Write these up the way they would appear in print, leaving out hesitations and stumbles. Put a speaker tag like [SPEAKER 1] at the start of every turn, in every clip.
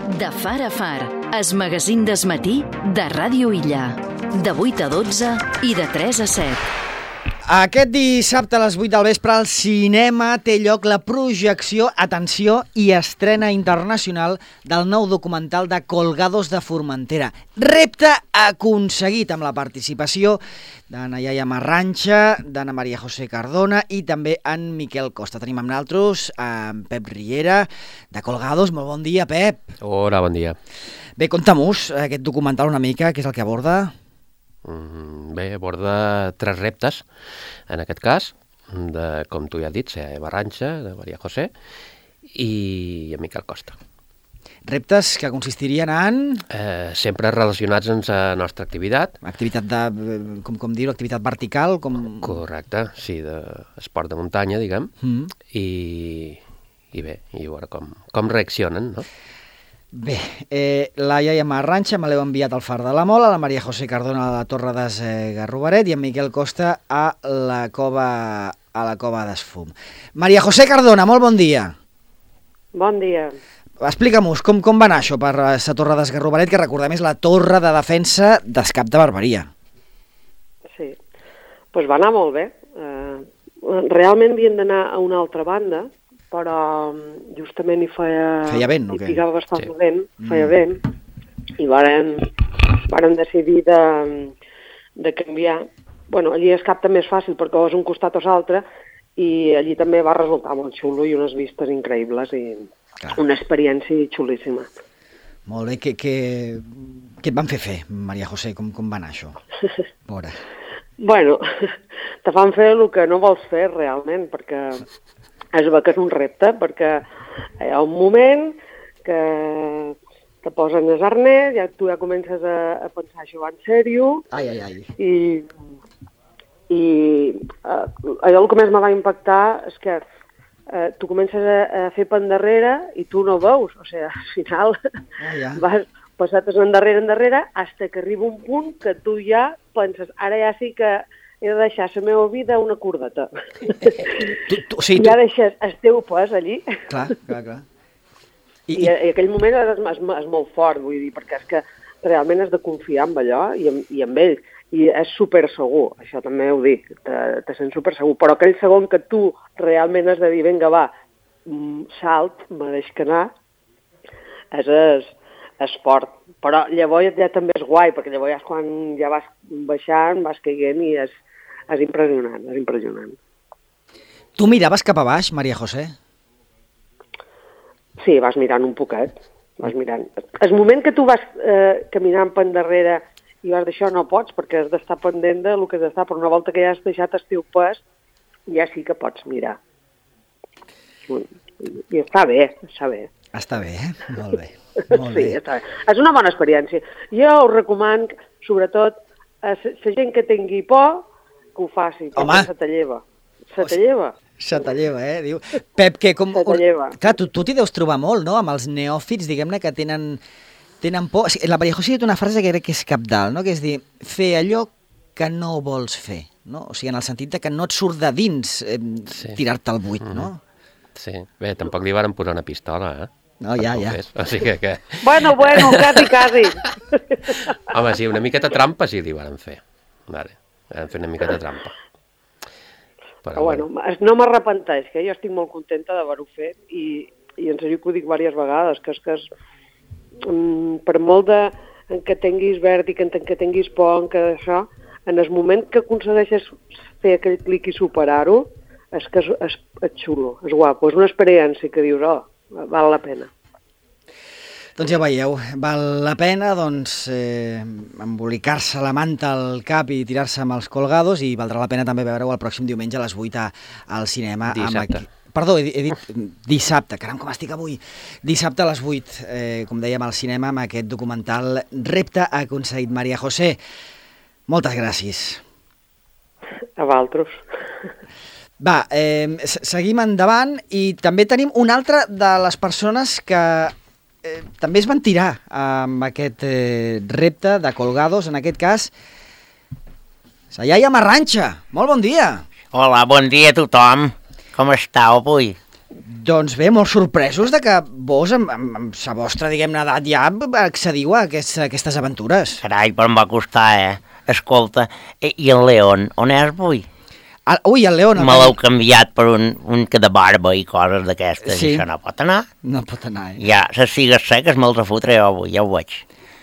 [SPEAKER 1] De far a far, es magazín d'esmatí de Ràdio Illa. De 8 a 12 i de 3 a 7.
[SPEAKER 2] Aquest dissabte a les 8 del vespre al cinema té lloc la projecció, atenció, i estrena internacional del nou documental de Colgados de Formentera. Repte aconseguit amb la participació d'Anna Iaia Marranxa, d'Anna Maria José Cardona i també en Miquel Costa. Tenim amb nosaltres en Pep Riera, de Colgados. Molt bon dia, Pep.
[SPEAKER 3] Hola, bon dia.
[SPEAKER 2] Bé, conta-mos aquest documental una mica, què és el que aborda?
[SPEAKER 3] Bé, aborda 3 reptes, en aquest cas, de, com tu ja has dit, Marranxa, de Maria José i en Miquel Costa.
[SPEAKER 2] Reptes que consistirien en...
[SPEAKER 3] Sempre relacionats amb la nostra activitat.
[SPEAKER 2] Activitat de, com dir-ho, activitat vertical?
[SPEAKER 3] Correcte, sí, d'esport de muntanya, diguem, i bé, i veure com reaccionen, no?
[SPEAKER 2] Bé, la Iaia Marranxa me l'heu enviat al Far de la Mola, la Maria José Cardona a la Torre d'Esgarrobaret i en Miquel Costa a la Cova d'Esfum. Maria José Cardona, molt bon dia.
[SPEAKER 4] Bon dia.
[SPEAKER 2] Explica'm-nos, com va anar això per la Torre d'Esgarrobaret, que recordem és la torre de defensa d'Escap de Barberia.
[SPEAKER 4] Sí, doncs va anar molt bé. Realment havien d'anar a una altra banda, però justament hi feia
[SPEAKER 2] vent, no?
[SPEAKER 4] Hi picava bastant vent, feia vent, i varen decidir de canviar. Bueno, allí a Escap també és fàcil perquè és un costat o l'altre, i allí també va resultar molt xulo i unes vistes increïbles i una experiència xulíssima.
[SPEAKER 2] Molt bé, què et van fer, Maria José? Com va anar això? Veure.
[SPEAKER 4] Bueno, te fan fer el que no vols fer realment, perquè es veu que és un repte, perquè hi ha un moment que te posen els arnès, tu ja comences a pensar això va en sèrio, i allò el que més me va impactar és que tu comences a fer per endarrere i tu no veus, o sigui, al final vas passat endarrere, fins que arriba un punt que tu ja penses, ara ja sí que he de deixar la meva vida una cordeta. Ja deixes el teu pes allí.
[SPEAKER 2] Clar.
[SPEAKER 4] I aquell moment és molt fort, vull dir, perquè és que realment has de confiar en allò i en ell. I és super segur, això també ho dic, te sents super segur. Però aquell segon que tu realment has de dir, vinga, va, salt, me deix que anar, és esport. Però llavors ja també és guai, perquè llavors quan ja vas baixant, vas caient i és impressionant, és impressionant.
[SPEAKER 2] Tu miraves cap a baix, Maria José?
[SPEAKER 4] Sí, vas mirant un poquet, vas mirant. El moment que tu vas caminant per endarrere i vas d'això no pots, perquè has d'estar pendent del que has d'estar, però una volta que ja has deixat el teu pes, ja sí que pots mirar. I està bé, està bé.
[SPEAKER 2] Està bé, molt bé.
[SPEAKER 4] Sí, està bé. És una bona experiència. Jo us recomano, sobretot, a la gent que tingui por, que ho faci, perquè se te lleva. Se te lleva.
[SPEAKER 2] Se te lleva, diu. Pep, que com...
[SPEAKER 4] Se te lleva.
[SPEAKER 2] Clar, tu t'hi deus trobar molt, no?, amb els neòfits, diguem-ne, que tenen por. La Maria José ha dit una frase que crec que és cabdal, no?, que és dir, fer allò que no vols fer, no? O sigui, en el sentit de que no et surt de dins tirar-te al buit, no?
[SPEAKER 3] Sí, bé, tampoc li varen posar una pistola,
[SPEAKER 2] No, ja.
[SPEAKER 3] O sigui que...
[SPEAKER 4] Bueno, quasi.
[SPEAKER 3] Home, sí, una miqueta trampa sí li varen fer. Vale, varen fer una miqueta trampa.
[SPEAKER 4] Però bueno, no m'arrepenteix, que jo estic molt contenta d'haver-ho fet i en sèrio que ho dic diverses vegades, que és per molt que tinguis vèrtic, que tinguis por, que això, en el moment que aconsegueixes fer aquell clic i superar-ho, és que és xulo, és guapo, és una experiència que dius, val la pena.
[SPEAKER 2] Doncs ja veieu, val la pena embolicar-se la manta al cap i tirar-se amb els Colgados, i valdrà la pena també veure-ho el pròxim diumenge a les 8 al cinema.
[SPEAKER 3] Dissabte.
[SPEAKER 2] Perdó, he dit dissabte, caram, com estic avui. Dissabte a les 8, com dèiem, al cinema amb aquest documental Repte aconseguit. Maria José, moltes gràcies.
[SPEAKER 4] A vosaltres.
[SPEAKER 2] Va, seguim endavant i també tenim una altra de les persones que també es van tirar amb aquest repte de Colgados, en aquest cas, la Iaia Marranxa. Molt bon dia.
[SPEAKER 5] Hola, bon dia a tothom. Com estàu avui?
[SPEAKER 2] Doncs bé, molt sorpresos de que vos, amb la vostra, diguem-ne, edat ja, accediu a aquestes aventures.
[SPEAKER 5] Carai, però em va costar, Escolta, i el León, on és avui?
[SPEAKER 2] Ui, el León...
[SPEAKER 5] Me l'heu canviat per un que de barba i coses d'aquestes,
[SPEAKER 2] Sí.
[SPEAKER 5] I això no pot anar.
[SPEAKER 2] No pot anar,
[SPEAKER 5] Ja, les figues seques me'ls refotré jo avui, ja ho veig.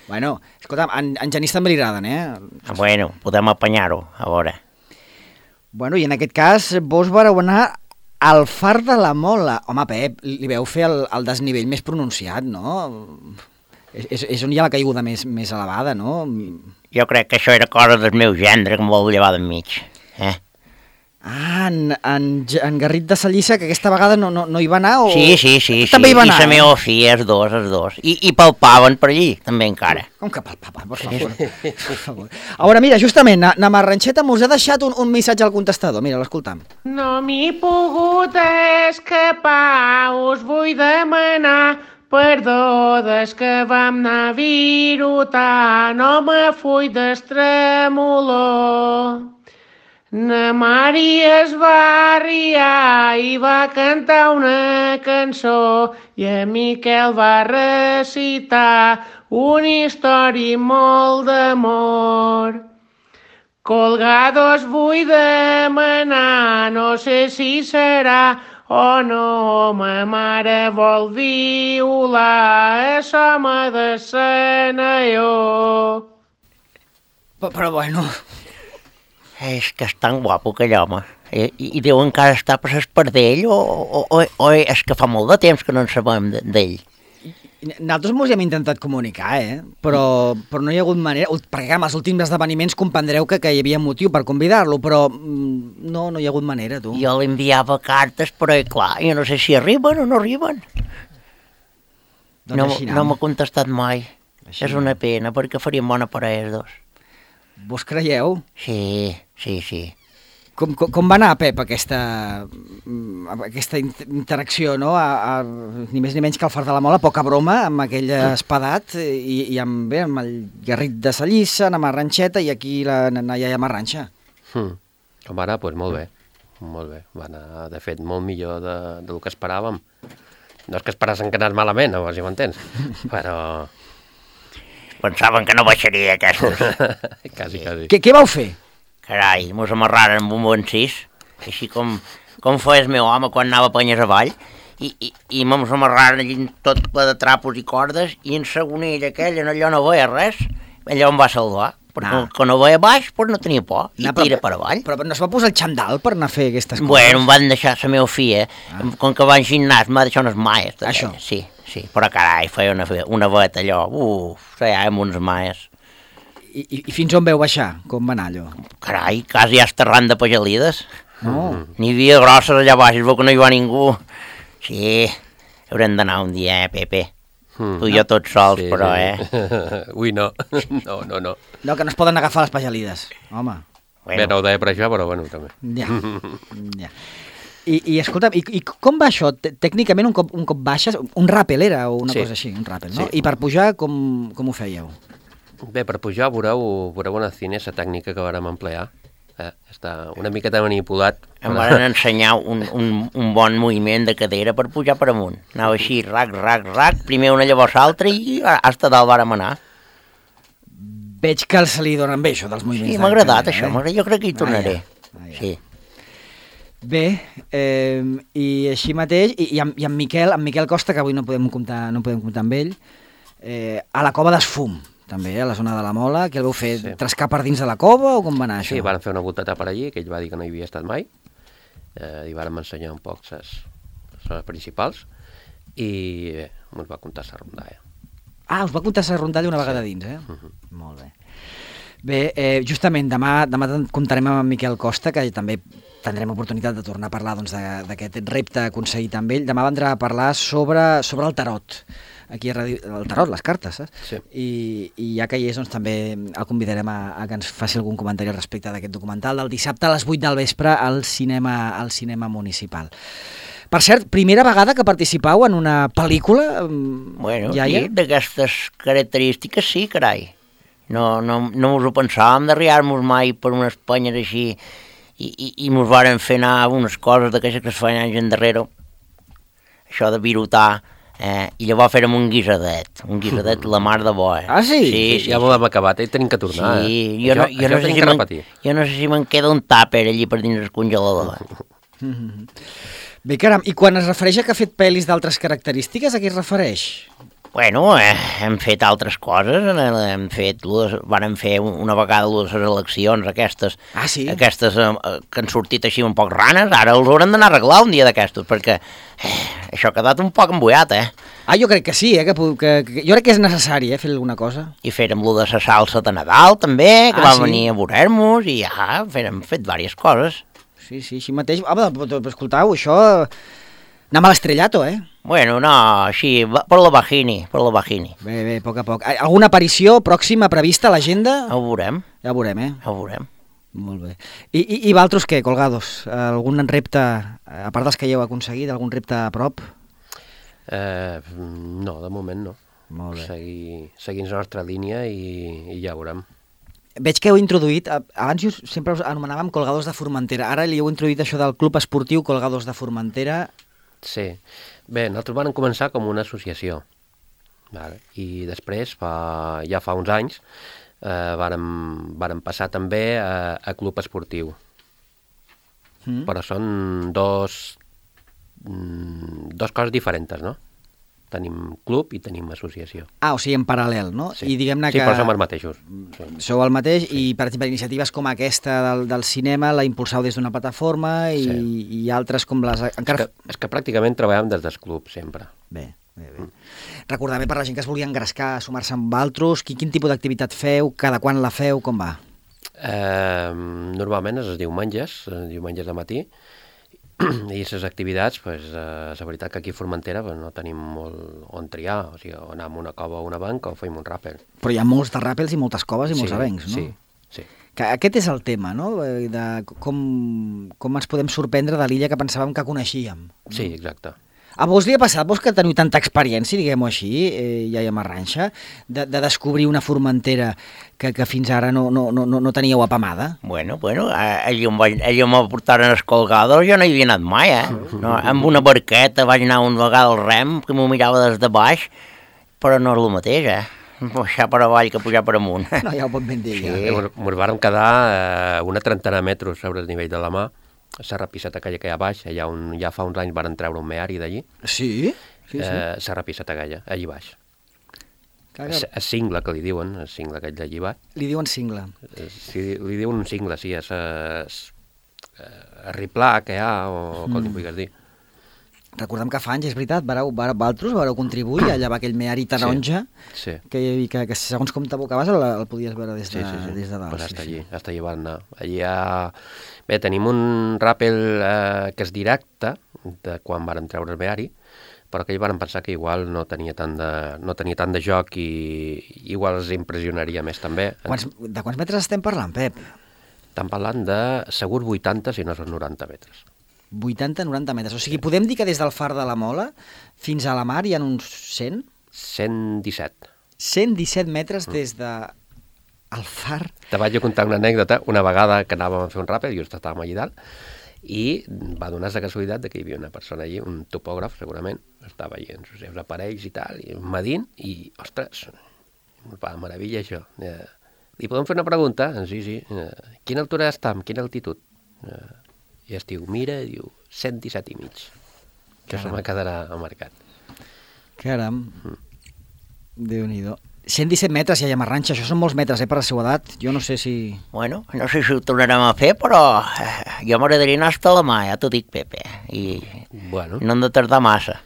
[SPEAKER 2] Bueno, escolta'm, en Genís també li agraden,
[SPEAKER 5] Bueno, podem apanyar-ho, a veure.
[SPEAKER 2] Bueno, i en aquest cas vos vareu anar al Far de la Mola. Home, Pep, li veu fer el desnivell més pronunciat, no? És on hi ha la caiguda més elevada, no?
[SPEAKER 5] Jo crec que això era cosa del meu gendre que em vol llevar d'enmig.
[SPEAKER 2] Ah, en Garrit de Sallissa, que aquesta vegada no hi va anar? O...
[SPEAKER 5] Sí.
[SPEAKER 2] També hi va anar.
[SPEAKER 5] I la meva filla, els dos. I palpaven per allí, també encara.
[SPEAKER 2] Com que palpaven, per favor. Per favor. A veure, mira, justament, na Marranxeta mos ha deixat un missatge al contestador. Mira, l'escoltam.
[SPEAKER 6] No m'he pogut escapar, us vull demanar perdó des que vam anar a virutar, no me full d'estremolor. Na Mari es va riar i va cantar una cançó i en Miquel va recitar una història molt d'amor. Colgados vull demanar, no sé si serà o no, ma mare vol violar, això m'ha de senyor.
[SPEAKER 2] Però bueno...
[SPEAKER 5] És que és tan guapo aquell home. I deu encara estar per l'espardell o és que fa molt de temps que no en sabem d'ell.
[SPEAKER 2] Nosaltres mos hi hem intentat comunicar, però no hi ha hagut manera, perquè amb els últims esdeveniments comprendreu que hi havia motiu per convidar-lo, però no hi ha hagut manera, tu.
[SPEAKER 5] Jo li enviava cartes, però clar, jo no sé si arriben o no arriben.
[SPEAKER 2] Doncs
[SPEAKER 5] No m'ha contestat mai.
[SPEAKER 2] Així
[SPEAKER 5] És una pena, perquè farien bona parella els dos.
[SPEAKER 2] Vos creieu?
[SPEAKER 5] Sí.
[SPEAKER 2] Com va anar, Pep, aquesta interacció, no? Ni més ni menys que al Far de la Mola, poca broma, amb aquell espadat i amb el Garrit de Sallissa, na Marranxeta i aquí la iaia Marranxa.
[SPEAKER 3] Com ara, doncs molt bé. Molt bé. Va anar, de fet, molt millor del que esperàvem. No és que esperassin que anés malament, no, si m'entens, però...
[SPEAKER 5] Pensaven que no baixaria aquestes.
[SPEAKER 3] Quasi.
[SPEAKER 2] Què vau fer?
[SPEAKER 5] Carai, mos amarraren amb un bon 6, així com feia el meu home quan anava a penyes avall, i mos amarraren allí tot ple de trapos i cordes, i en segonell aquell, allò no veia res, allò em va salvar, perquè quan no veia baix, doncs no tenia por, i tira per avall.
[SPEAKER 2] Però no es va posar el xandall per anar a fer aquestes coses?
[SPEAKER 5] Bueno, em van deixar la meva filla, com que va al gimnàs, m'ha deixat unes maies.
[SPEAKER 2] Això?
[SPEAKER 5] Sí, però carai, feia una veta allò, feia amb uns maies.
[SPEAKER 2] I fins on veu baixar? Com va anar allò?
[SPEAKER 5] Carai, quasi esterrant de pagelides.
[SPEAKER 2] No.
[SPEAKER 5] N'hi havia grosses allà baix, es veu que no hi va ningú. Sí, haurem d'anar un dia, Pepe. Tu i jo tots sols, sí, però,
[SPEAKER 3] Ui, no. No.
[SPEAKER 2] No, que no es poden agafar les pagelides, home.
[SPEAKER 3] Bé, no ho deia per això, però bueno, també.
[SPEAKER 2] Ja. I escolta'm, i com va això? Tècnicament, un cop baixes, un ràpel era, o una cosa així, un ràpel, no?
[SPEAKER 3] Sí.
[SPEAKER 2] I per pujar, com ho fèieu?
[SPEAKER 3] Bé, per pujar veureu una cinesa tècnica que vàrem emplear. Està una miqueta manipulat.
[SPEAKER 5] Em van ensenyar un bon moviment de cadera per pujar per amunt. Anava així, rac, primer una llavors l'altra i hasta dalt vàrem anar.
[SPEAKER 2] Veig que se li donen bé, això dels moviments.
[SPEAKER 5] Sí, m'ha agradat això, jo crec que hi tornaré. Sí.
[SPEAKER 2] Bé, i així mateix, i en Miquel Costa, que avui no podem comptar amb ell, a la Cova d'Esfum, també, a la zona de la Mola, que el vau fer trescar per dins de la cova o com va anar això?
[SPEAKER 3] Sí, van fer una volteta per allí, que ell va dir que no hi havia estat mai, i vàrem ensenyar un poc les zones principals, i bé, ens va comptar la rondalla.
[SPEAKER 2] Ah, us va comptar la rondalla una vegada dins, Molt bé. Bé, justament demà comptarem amb en Miquel Costa, que també tindrem oportunitat de tornar a parlar d'aquest repte aconseguit amb ell. Demà vendrà a parlar sobre el tarot. Aquí a Ràdio, el tarot, les cartes, saps?
[SPEAKER 3] Sí.
[SPEAKER 2] I ja que hi és, doncs també el convidarem a que ens faci algun comentari respecte d'aquest documental del dissabte a les 8 del vespre al cinema municipal. Per cert, primera vegada que participau en una pel·lícula,
[SPEAKER 5] Bueno,
[SPEAKER 2] iaia?
[SPEAKER 5] sí, d'aquestes característiques sí, carai. No us ho pensàvem d'arribar-nos mai per unes penyes així i mos varen fer anar unes coses d'aquestes que es feien anys endarrere. això de virutar, i llavors fèrem un guisadet la mar de bo.
[SPEAKER 2] Ah, sí?
[SPEAKER 5] Sí.
[SPEAKER 3] Ja ho hem acabat i tenim que tornar.
[SPEAKER 5] Sí,
[SPEAKER 3] jo
[SPEAKER 5] no sé si me'n queda un tàper allí per dins el congelador.
[SPEAKER 2] Bé, caram, i quan es refereix a que ha fet pel·lis d'altres característiques, a què es refereix?
[SPEAKER 5] Bueno, hem fet altres coses, vàrem fer una vegada les eleccions aquestes, aquestes que han sortit així un poc ranes, ara els haurem d'anar a arreglar un dia d'aquestos, perquè això ha quedat un poc embullat,
[SPEAKER 2] Jo crec que sí, jo crec que és necessari, fer alguna cosa.
[SPEAKER 5] I fèrem lo de la salsa de Nadal, també, que va venir a veure-nos, i hem fet diverses coses.
[SPEAKER 2] Sí, així mateix. Escoltau, això... Anem a l'estrellato,
[SPEAKER 5] Bueno, no, així, per la Bajini.
[SPEAKER 2] Bé, a poc a poc. Alguna aparició pròxima prevista a l'agenda?
[SPEAKER 5] Ja ho veurem.
[SPEAKER 2] Ja ho veurem,
[SPEAKER 5] Ja ho veurem.
[SPEAKER 2] Molt bé. I vosaltres què, Colgados? Algun repte, a part dels que ja heu aconseguit, algun repte a prop?
[SPEAKER 3] No, de moment no.
[SPEAKER 2] Molt bé.
[SPEAKER 3] Seguint la nostra línia i ja ho veurem.
[SPEAKER 2] Veig que heu introduït, abans sempre us anomenàvem Colgados de Formentera, ara li heu introduït això del Club Esportiu Colgados de Formentera.
[SPEAKER 3] Sí. Bé, nosaltres vam començar com una associació, vale? I després, ja fa uns anys, vàrem passar també a Club Esportiu. Però són dos coses diferents, no? Tenim club i tenim associació.
[SPEAKER 2] O sigui, en paral·lel, no?
[SPEAKER 3] Sí,
[SPEAKER 2] I diguem-ne que...
[SPEAKER 3] però som els mateixos. Sí.
[SPEAKER 2] Sou el mateix i, per exemple, iniciatives com aquesta del cinema la impulsau des d'una plataforma i altres com les...
[SPEAKER 3] És que pràcticament treballem des del club, sempre.
[SPEAKER 2] Bé. Recordar-me per la gent que es volia engrescar, sumar-se amb altres, quin tipus d'activitat feu, cada quan la feu, com va?
[SPEAKER 3] Normalment és els diumenges de matí, i les activitats, la veritat que aquí a Formentera no tenim molt on triar, o sigui, o anar a una cova o una banca o fem un ràpel.
[SPEAKER 2] Però hi ha molts de ràpels i moltes coves i molts avencs, no?
[SPEAKER 3] Sí.
[SPEAKER 2] Que aquest és el tema, no? De com ens podem sorprendre de l'illa que pensàvem que coneixíem.
[SPEAKER 3] Sí, exacte.
[SPEAKER 2] A vos li ha passat, vos que teniu tanta experiència, diguem-ho així, ja hi ha Marranxa, de descobrir una Formentera que fins ara no teníeu apamada?
[SPEAKER 5] Bueno, allí on me portaren els Colgados jo no hi havia anat mai, No, amb una barqueta vaig anar una vegada al rem, que m'ho mirava des de baix, però no és el mateix, Pujar per avall que pujar per amunt.
[SPEAKER 2] No, ja ho pot ben dir, ja.
[SPEAKER 3] Ens vàrem quedar una trentena de metres sobre el nivell de la mà, la rapisseta aquella que hi ha baix, allà on ja fa uns anys varen treure un meari d'allí.
[SPEAKER 2] Sí?
[SPEAKER 3] La rapisseta aquella, allí baix. El cingle, que li diuen, el cingle aquell d'allí baix.
[SPEAKER 2] Li diuen cingle?
[SPEAKER 3] Sí, li diuen un cingle, sí, és el riplà que hi ha, o com li puguis dir.
[SPEAKER 2] Recordem que fa anys, és veritat, vosaltres vareu contribuir a llevar aquell meari taronja, que segons com t'abocaves el podies veure des de dalt.
[SPEAKER 3] Pues hasta allí van anar. Allí Bé, tenim un ràpel que és directe, de quan vàrem treure el meari, però que vàrem pensar que igual no tenia tant de joc i igual els impressionaria més també.
[SPEAKER 2] De quants metres estem parlant, Pep?
[SPEAKER 3] Estem parlant de segur 80, si no són 90 metres.
[SPEAKER 2] 80-90 metres. O sigui, podem dir que des del far de la Mola fins a la mar hi ha uns 100?
[SPEAKER 3] 117.
[SPEAKER 2] 117 metres des de el far.
[SPEAKER 3] Te vaig contar una anècdota, una vegada que anàvem a fer un ràpel, just estàvem allà dalt, i va donar la casualitat que hi havia una persona allí, un topògraf segurament, estava allí en els seus aparells i tal, i medint, i, ostres, meravella això. Li podem fer una pregunta? Sí. Quina altura està? Quina altitud? I es diu, mira, diu 117 i mig. Que se me quedarà marcat.
[SPEAKER 2] Caram. Déu-n'hi-do. 117 metres ja hi ha Marranxa, això són molts metres per la seva edat, jo no sé si...
[SPEAKER 5] Bueno, no sé si ho tornarem a fer, però jo m'agradaria anar hasta la mà, ja t'ho dic, Pepe, i no hem de tardar massa.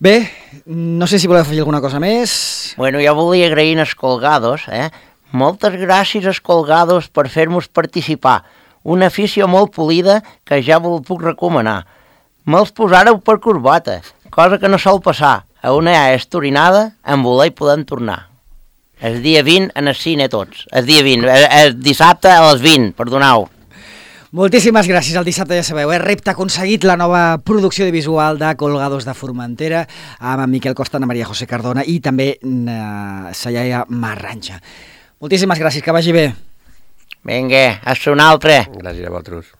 [SPEAKER 2] Bé, no sé si voleu fer alguna cosa més.
[SPEAKER 5] Bueno, jo volia agrair als Colgados, Moltes gràcies als Colgados per fer-nos participar. Una afició molt polida que ja vos puc recomanar. Me'ls posàreu per corbata, cosa que no sol passar. A una estorinada, en voler podem tornar. El dia 20 en el cine tots. El dia 20, el dissabte a les 20, perdoneu.
[SPEAKER 2] Moltíssimes gràcies. El dissabte ja sabeu, repte aconseguit, la nova producció de visual de Colgados de Formentera amb en Miquel Costa, Ana Maria José Cardona i també sa iaia Marranxa. Moltíssimes gràcies, que vagi bé.
[SPEAKER 5] Vinga, a ser un altre.
[SPEAKER 3] Gràcies a vosaltres.